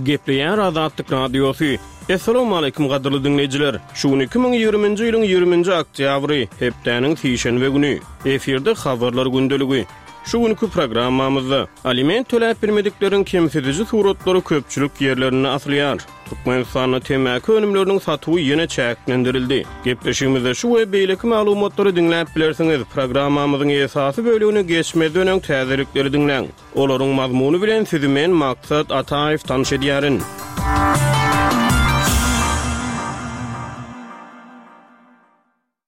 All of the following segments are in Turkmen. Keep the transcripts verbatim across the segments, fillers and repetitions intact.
Gepleýär Azatlyk Radiosy. Assalamu gadyrly diňleýjiler. Şu gün iki müň ýigriminji ýylyň ýigriminji oktýabry, hepdäniň sişenbe güni. Efirde habarlar gündeligi. Şu günkü programmamyzda aliment töläp bilmedikleriň kemsidiji suratlary köpçülik ýerlerinde asylýar. Türkmenistanda temmäki önümleriniň satuwy ýene çäklendirildi. Gepleşigimizde şu we beýleki maglumatlary diňläp bilersiňiz. Programmamyzyň esasy bölümine geçmezden öň täzelikleri diňläň. Olaryň mazmuny bilen sizi men Maksat Ataýew tanyş edýärin.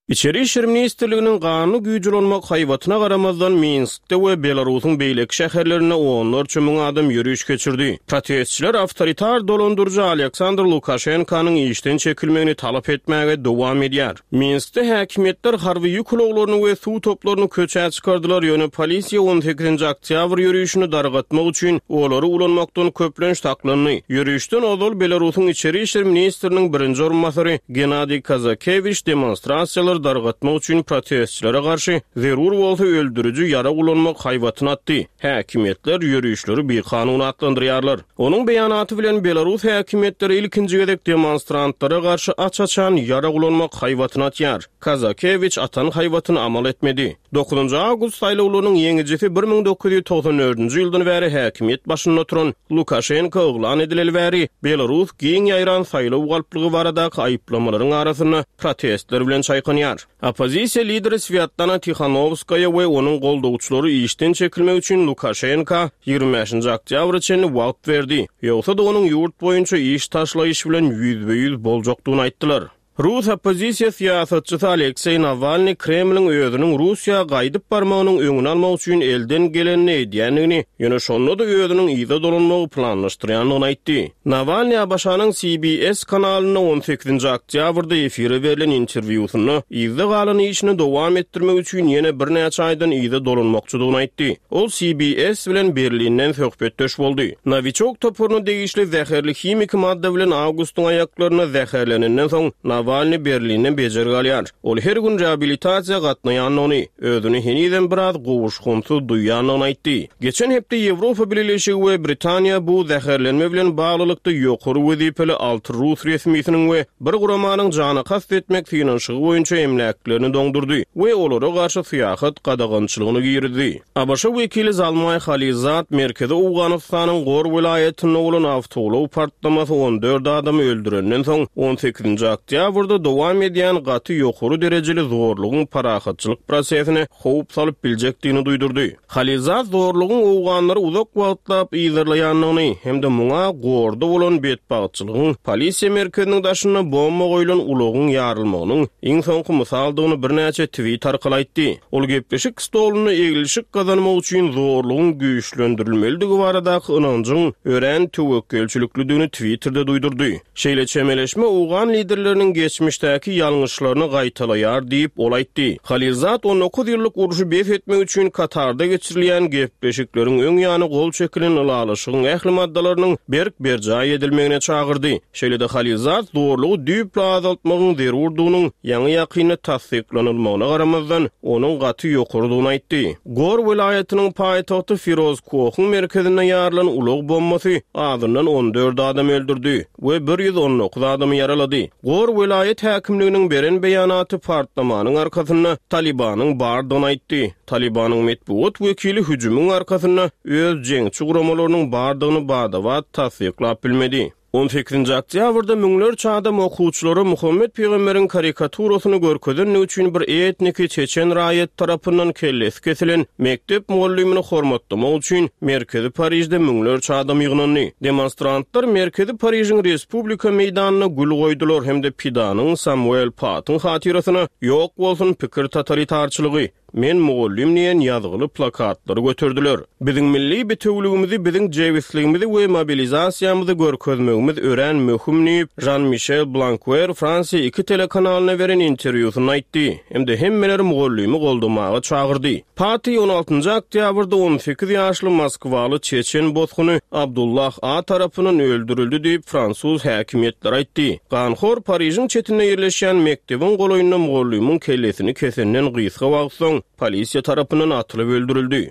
İçeri İşler Ministrliginiň ganly güýç ulanmak haýbatyna garamazdan Minskde we Belarusyň beýleki şäherlerinde onlarça müň adam ýöriş geçirdi. Protestçiler awtoritar dolandyryjy Aleksandr Lukaşenkanyň işden çekilmegini talap etmäge dowam edýär. Minskde häkimiýetler harby ýük ulaglaryny we suw toplaryny köçä çykardylar, ýöne polisiýa on sekizinji oktýabr ýörişini dargatmak üçin olary ulanmakdan köplenç saklandy. Ýörişden ozal Belarusyň İçeri İşler Ministriniň birinji orunbasary Gennadiy Kazakewiç demonstrasiýalary dargatmak üçin protestçilere garşy zerur bolsa öldüriji ýara ulanmak haýbatyny atdy. Häkimiýetler ýörişleri bikanun atlandyrýarlar. Onuň beýanaty bilen Belarus häkimiýetleri ilkinji gezek demonstrantlara garşy aç-açan ýara ulanmak haýbatyny atýar. Kazakewiç atan haýbatyny amal etmedi. Dokuzunjy awgust saýlawlarynyň ýeňijisi bir müň dokuz ýüz togsan dördünji ýyldan bäri häkimiýet başynda oturan Lukaşenko yglan edileli bäri Belarus giň ýaýran saýlaw galplygy baradaky aýyplamalaryň arasynda protestler bilen çaýkanýar. Oppozisiýa lideri Svetlana Tikhanovskaya we onuň goldawçylary işden çekilmek üçin Lukaşenko ýigrimi beşinji oktýabra çenli wagt berdi. Ýogsa-da onuň ýurt boýunça iş taşlaýyş bilen ýüzbe-ýüz boljakdygyny aýtdylar. Rus oppozisiýa syýasatçysy Aleksey Nawalny Kremliň özüniň Russiýa gaýdyp barmagynyň öňüni almak üçin elden gelenini edýändigini, ýöne şonda-da özüniň yza dolanmagy planlaşdyrýandygyny aýtdy. Nawalny A B Ş-nyň C B S kanalynda on sekizinji oktýabrda efire berlen interwýusynda yzda galan işini dowam etdirmek üçin ýene birnäçe aýdan yza dolanmakçydygyny aýtdy. Ol C B S bilen Berlinden söhbetdeş boldy. Novichok toparyna degişli zäherli himiki madda bilen awgustyň aýaklaryna zäherlenenden soň Nawalny Berlinden bejergi alýar. Ol her gün rehabilitasiýa gatnaýandygyny, özüni henizem biraz gowuşgynsyz duýýandygyny aýtdy. Geçen hepde Ýewropa Bileleşigi we Britaniýa bu zäherlenme bilen baglylykda ýokary wezipeli alty rus resmisiniň we bir guramanyň jana kast etmek synanyşygy boýunça emläklerini doňdurdy we olara garşy syýahat gadagançylygyny girizdi. A B Ş wekili Zalmay Khalilzad Merkezi Owganystanyň Gor welaýatynda bolan awtoulag partlamasy on dört adamy öldürenden soň on sekizinji oktýabrda dowam edýän gaty ýokary derejeli zorlugyň parahatçylyk prosesine howp salyp biljekdigini duýdurdy. Khalilzad zorlugyň Owganlary uzak wagtlap yzarlaýandygyny hem-de muňa Gorda bolan betbagtçylygyň polisiýa merkeziniň daşynda bomba goýlan ulagyň ýarylmagynyň iň soňky mysaldygyny birnäçe tweet arkaly aýtdy. Ol gepleşik stolunda eglişik gazanmak üçin zorlugyň güýçlendirilmelidigi baradaky ynanjyň örän töwekgelçiliklidigini Twitterde duýdurdy. Şeýle çemeleşme Owgan liderleriniň geçmişdäki ýalňyşlaryny gaýtalaýar diýip ol aýtdy. Khalilzad on dokuz ýyllyk urşy bes etmek üçin Katarda geçirilýän gepleşikleriň öň ýany gol çekilen ylalaşygyň ähli maddalarynyň berk berjaý edilmegine çagyrdy. Şeýle-de Khalilzad zorlugy düýpli azaltmagyň zerurdygynyň ýaňy ýakynda tassyklanylmagyna garamazdan onuň gaty ýokarydygyny aýtdy. Gor welaýatynyň paýtagty Firoz Kohyň merkezinde ýarylan ulag bombasy azyndan on dört adam öldürdi we bir ýüz on dokuz adamy ýaralady. Gor welaýat häkimliginiň beren beýanaty partlamanyň arkasynda Talibanyň bardygyny aýtdy. Talibanyň metbugat wekili hüjümiň arkasynda öz jeňçi guramalarynyň bardygyny badabat tassyklap bilmedi. on sekizinji oktýabrda müňlerçe adam okuwçylara Muhammed Peygamberin karikaturasyny görkezenligi üçin bir etniki çeçen raýat tarapyndan kellesi kesilen mekdep mugallymyny hormatlamak üçin Merkezi Parijde müňlerçe adam ýygnandy. Demonstrantlar Merkezi Parijiň Respublika meýdanyna gül goýdular hem-de Pidanyň Samuel Patyň hatyrasyna ýok bolsun pikir totalitarçylygy, men mugallym diýen ýazgyly plakatlary göterdiler. Biziň milli bitewligimizi, biziň jebisligimizi we mobilizasiýamyzy görkezmegimiz örän möhüm diýip, Jean-Michel Blanquer Fransiýa iki telekanalyna beren interwýusynda aýtdy. Hem-de hemmeleri mugallymy goldamaga çagyrdy. Paty on altynjy oktýabrda on sekiz ýaşly Moskwaly çeçen bosguny Abdullah A tarapyndan öldürildi diýip fransuz häkimiýetleri aýtdy. Ganhor Parižiň çetinde ýerleşýän mekdebiň golaýynda mugallymyň kellesini kesenden gysga wagt soň polisiýa tarapyndan atylyp öldürildi.